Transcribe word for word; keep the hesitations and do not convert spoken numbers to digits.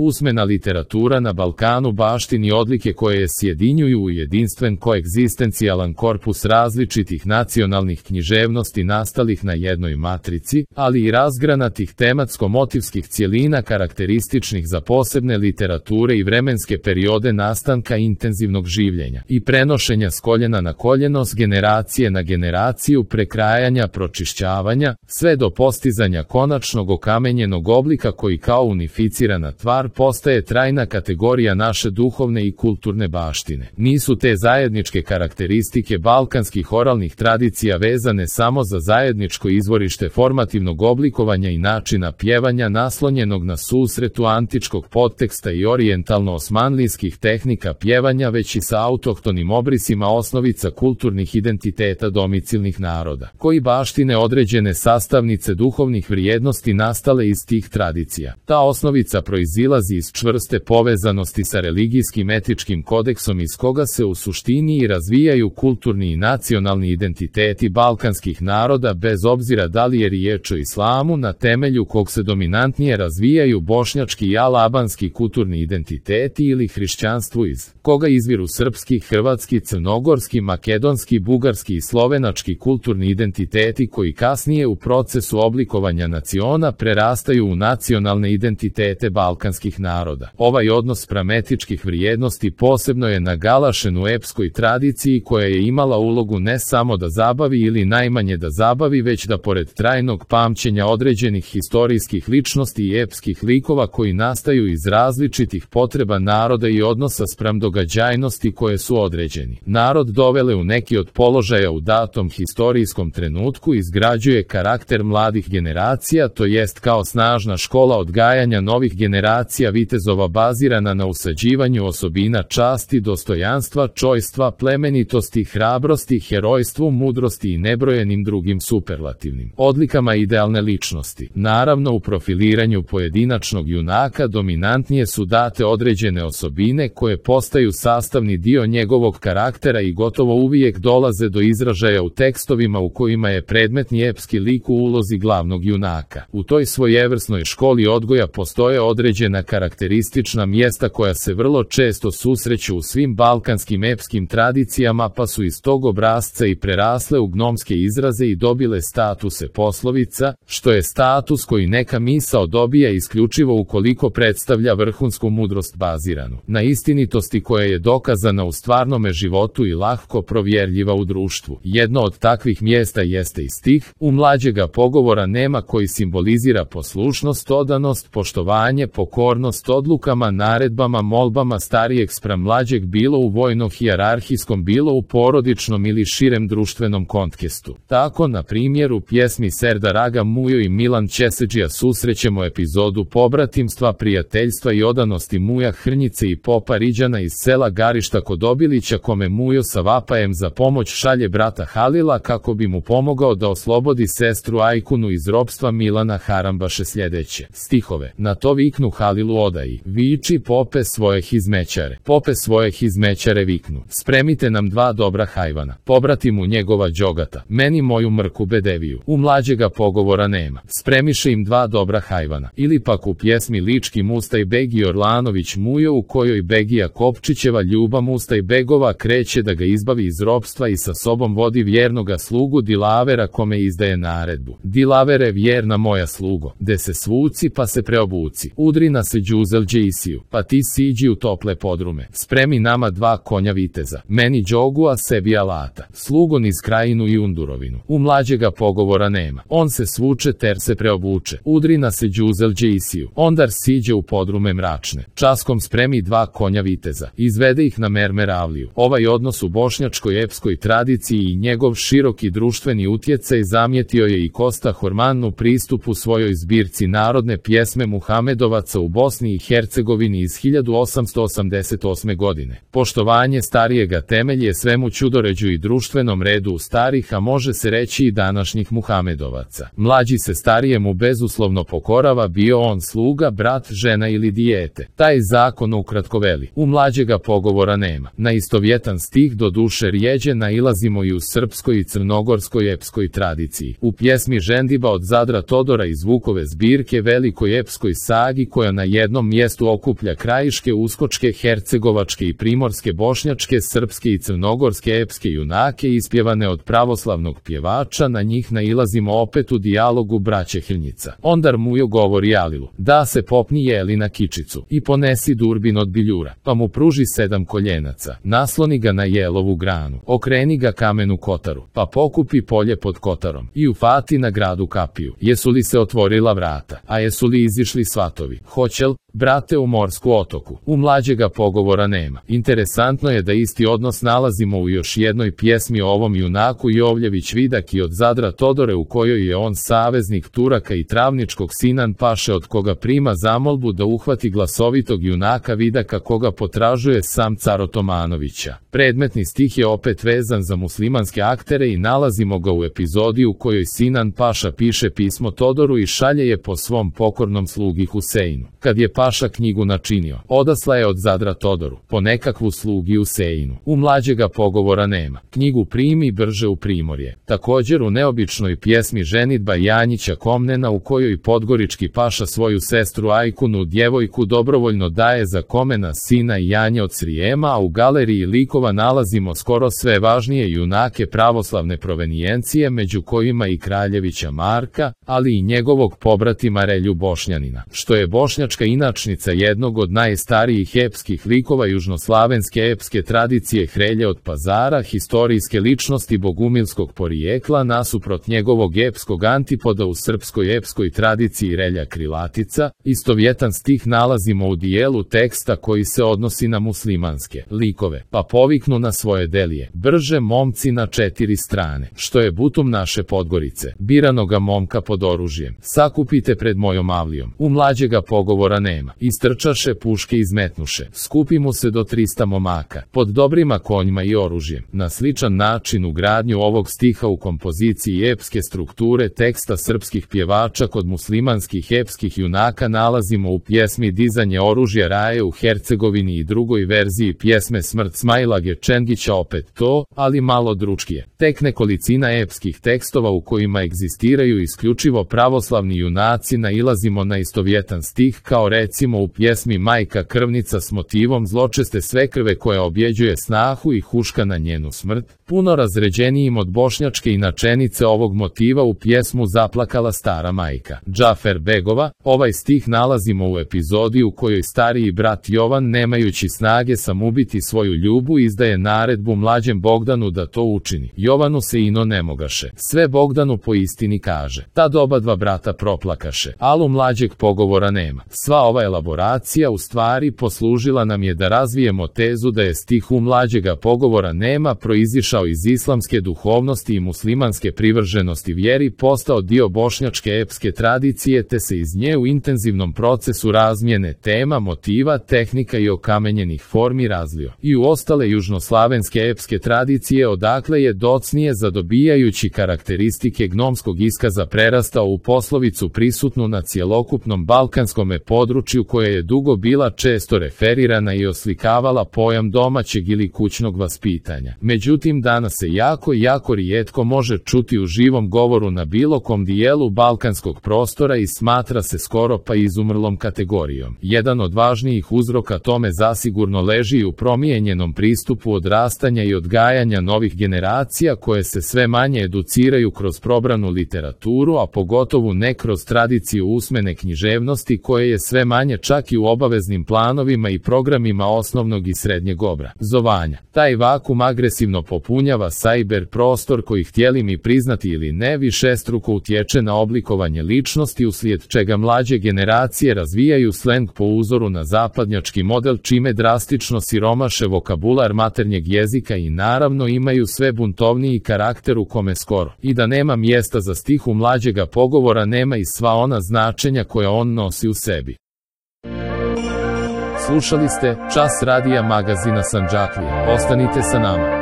Usmena literatura na Balkanu baštini odlike koje je sjedinjuju u jedinstven koegzistencijalan korpus različitih nacionalnih književnosti nastalih na jednoj matrici, ali i razgranatih tematsko-motivskih cjelina karakterističnih za posebne literature i vremenske periode nastanka intenzivnog življenja i prenošenja s koljena na koljeno, s generacije na generaciju, prekrajanja, pročišćavanja, sve do postizanja konačnog okamenjenog oblika koji kao unificirana tvar postaje trajna kategorija naše duhovne i kulturne baštine. Nisu te zajedničke karakteristike balkanskih oralnih tradicija vezane samo za zajedničko izvorište formativnog oblikovanja i načina pjevanja naslonjenog na susretu antičkog podteksta i orijentalno-osmanlijskih tehnika pjevanja, već i sa autohtonim obrisima osnovica kulturnih identiteta domicilnih naroda, koji baštine određene sastavnice duhovnih vrijednosti nastale iz tih tradicija. Ta osnovica proizilazi iz čvrste povezanosti sa religijskim etičkim kodeksom iz koga se u suštini i razvijaju kulturni i nacionalni identiteti balkanskih naroda bez obzira da li je riječ o islamu na temelju kog se dominantnije razvijaju bošnjački i alabanski kulturni identiteti ili hrišćanstvu iz koga izviru srpski, hrvatski, crnogorski, makedonski, bugarski i slovenački kulturni identiteti koji kasnije u procesu oblikovanja naciona prerastaju u nacionalne identitete balkanskih naroda. Ovaj odnos spram etičkih vrijednosti posebno je naglašen u epskoj tradiciji koja je imala ulogu ne samo da zabavi ili najmanje da zabavi, već da pored trajnog pamćenja određenih historijskih ličnosti i epskih likova koji nastaju iz različitih potreba naroda i odnosa spram događajnosti koje su određeni narod dovele u neki od položaja u datom historijskom trenutku, izgrađuje karakter mladih generacija, to jest kao snažna škola odgajanja novih generacija vitezova bazirana na usađivanju osobina časti, dostojanstva, čojstva, plemenitosti, hrabrosti, herojstvu, mudrosti i nebrojenim drugim superlativnim odlikama idealne ličnosti. Naravno, u profiliranju pojedinačnog junaka dominantnije su date određene osobine koje postaju sastavni dio njegovog karaktera i gotovo uvijek dolaze do izražaja u tekstovima u kojima je predmetni epski lik u ulozi glavnog junaka. U toj svojevrsnoj školi odgoja postoje određena karakteristična mjesta koja se vrlo često susreću u svim balkanskim epskim tradicijama, pa su iz tog obrasca i prerasle u gnomske izraze i dobile statuse poslovica, što je status koji neka misao dobija isključivo ukoliko predstavlja vrhunsku mudrost baziranu na istinitosti koja je dokazana u stvarnome životu i lahko provjerljiva u društvu. Jedno od takvih mjesta jeste i stih "U mlađega pogovora nema" koji simbolizira poslušnost, odanost, poštovanje, pokornost odlukama, naredbama, molbama starijeg spram mlađeg, bilo u vojno-hijerarhijskom, bilo u porodičnom ili širem društvenom kontekstu. Tako, na primjer, u pjesmi Serdar Aga Mujo i Milan Česeđija susrećemo epizodu pobratimstva, prijateljstva i odanosti Muja Hrnjice i popa Riđana iz sela Garišta kod Obilića, kome Mujo sa vapajem za pomoć šalje brata Halila kako bi mu pomogao da oslobodi sestru Ajkunu iz ropstva Milana Harambaše sljedeće stihove. Na to viknu Halilu odaji: "Viči pope svoje hizmećare, pope svoje hizmećare viknu, spremite nam dva dobra hajvana, pobrati mu njegova đogata, meni moju mrku bedeviju, u mlađega pogovora nema, spremiše im dva dobra hajvana." Ili pak u pjesmi Lički Mustaj Beg i Orlanović Mujo, u kojoj Begija Kopčićeva Ljuba Mustaj Begova kreće da ga izbavi iz ropstva i sa sobom vodi vjernoga slugu Dilavera kome izdaje naredbu: "Dilavere, vjerna moja slugo, de se svuci pa se preobuci, udri na se đuzelđe Isiju, pa ti siđi u tople podrume, spremi nama dva konja viteza, meni đogu a sebi alata, slugo niz krajinu i undurovinu, u mlađega pogovora nema, on se svuče ter se preobuče, udri na se đuzelđe Isiju, ondar siđe u podrume mračne, časkom spremi dva konja viteza, izvede ih na mermer avliju." Ovaj odnos u bošnjačkoj epskoj tradiciji i njegov široki društveni utjecaj zamjetio je i Kosta Horman u pristupu svojoj zbirci narodne pjesme Muhamedovaca u Bosni i Hercegovini iz hiljadu osamsto osamdeset osme godine. Poštovanje starijega temelj je svemu čudoređu i društvenom redu u starih, a može se reći i današnjih Muhamedovaca. Mlađi se starijemu bezuslovno pokorava, bio on sluga, brat, žena ili dijete. Taj zakon ukratko veli: "U mlađega pogovora nema." Na istovjetan stih do duše rijeđe nailazimo i u srpskoj i crnogorskoj epskoj tradiciji. U pjesmi Žendiba od Zadra Todora iz Vukove zbirke velikoj epskoj sagi koja na jednom mjestu okuplja krajiške, uskočke, hercegovačke i primorske, bošnjačke, srpske i crnogorske epske junake ispjevane od pravoslavnog pjevača. Na njih nailazimo opet u dijalogu braće Hrnjica. Ondar Mujo govori Alilu, da se popni jeli na kičicu i ponesi durbin od biljura, pa mu pruži sedam koljenaca, nasloni ga na jelovu granu, okreni ga kamenu kotaru, pa pokupi polje pod kotarom i ufati na gradu kapiju. Jesu li se otvorila vrata, a jesu li izišli svatovi? Hoćel, brate, u morsku otoku? U mlađega pogovora nema. Interesantno je da isti odnos nalazimo u još jednoj pjesmi o ovom junaku Jovljević Vidak i od Zadra Todore, u kojoj je on saveznik Turaka i travničkog Sinan Paše, od koga prima zamolbu da uhvati glasovitog junaka Vidaka, koga potražuje sam car Otomanovića. Predmetni stih je opet vezan za muslimanske aktere i nalazimo ga u epizodi u kojoj Sinan Paša piše pismo Todoru i šalje je po svom pokornom slugi Huseinu. Kad je Paša knjigu načinio, odasla je od Zadra Todoru, po nekakvu slugi Huseinu. U mlađega pogovora nema. Knjigu primi brže u primorje. Također u neobičnoj pjesmi Ženidba Janjića Komnena, u kojoj podgorički Paša svoju sestru Ajkunu, djevojku, dobrovoljno daje za Komena, sina Janje od Srijema, a u galeriji likova nalazimo skoro sve važnije junake pravoslavne provenijencije, među kojima i Kraljevića Marka, ali i njegovog pobratima Relju Bošnjanina, što je bošnjačka inačnica jednog od najstarijih epskih likova južnoslavenske epske tradicije, Hrelje od Pazara, historijske ličnosti bogumilskog porijekla, nasuprot njegovog epskog antipoda u srpskoj epskoj tradiciji Relja Krilatica. Istovjetan stih nalazimo u dijelu teksta koji se odnosi na muslimanske likove, pa poviknu na svoje delije, brže momci na četiri strane, što je butum naše Podgorice, biranoga momka pod oružjem, sakupite pred mojom avlijom. U mlađega pogovora nema. Istrčaše puške, izmetnuše, skupi mu se do trista momaka, pod dobrima konjima i oružjem. Na sličan način ugradnju ovog stiha u kompoziciji epske strukture teksta srpskih pjevača kod muslimanskih epskih junaka nalazimo u pjesmi Dizanje oružja Raje u Hercegovini i drugoj verziji pjesme Smrt Smajlage Čengića, opet to, ali malo dručkije. Tek nekolicina epskih tekstova u kojima egzistiraju isključivo pravoslavni junaci nailazimo na istovjetan stih, kao recimo u pjesmi Majka Krvnica s motivom zločeste svekrve koja objeđuje snahu i huška na njenu smrt, puno razređenijim od bošnjačke inačenice ovog motiva u pjesmu Zaplakala stara majka Džafer Begova. Ovaj stih nalazimo u epizodi u kojoj stariji brat Jovan, nemajući snage samubiti svoju ljubu, izdaje naredbu mlađem Bogdanu da to učini. Jovanu se ino ne mogaše, sve Bogdanu po istini kaže. Tad oba dva brata proplakaše, ali mlađeg pogovora nema. Sva ova elaboracija u stvari poslužila nam je da razvijemo tezu da je stih u mlađega pogovora nema proizišao iz islamske duhovnosti i muslimanske privrženosti vjeri, postao dio bošnjačke epske tradicije, te se iz nje u intenzivnom procesu razmjene tema, motiva, tehnika i okamenjenih formi razlio i u ostale južnoslavenske epske tradicije, odakle je docnije, zadobijajući karakteristike gnomskog iskaza, prerastao u poslovicu prisutnu na cjelokupnom balkanskome području, koja je dugo bila često referirana i oslikavala pojam domaćeg ili kućnog vaspitanja. Međutim, danas se jako, jako rijetko može čuti u živom govoru na bilo kom dijelu balkanskog prostora i smatra se skoro pa izumrlom kategorijom. Jedan od važnijih uzroka tome zasigurno leži u promijenjenom pristupu odrastanja i odgajanja novih generacija, koje se sve manje educiraju kroz probranu literaturu, a pogotovo ne kroz tradiciju usmene književnosti, koje je sve manje čak i u obaveznim planovima i programima osnovnog i srednjeg obrazovanja. Taj vakum agresivno popunjava sajber prostor koji, htjeli mi priznati ili ne, višestruko utječe na oblikovanje ličnosti, uslijed čega mlađe generacije razvijaju sleng po uzoru na zapadnjački model, čime drastično siromaše vokabular maternjeg jezika i naravno imaju sve buntovniji karakter, u kome skoro i da nema mjesta za stih u mlađega pogovora nema i sva ona značenja koja on nosi u sebi. Slušali ste Čas radija magazina Sandžaklija. Ostanite sa nama.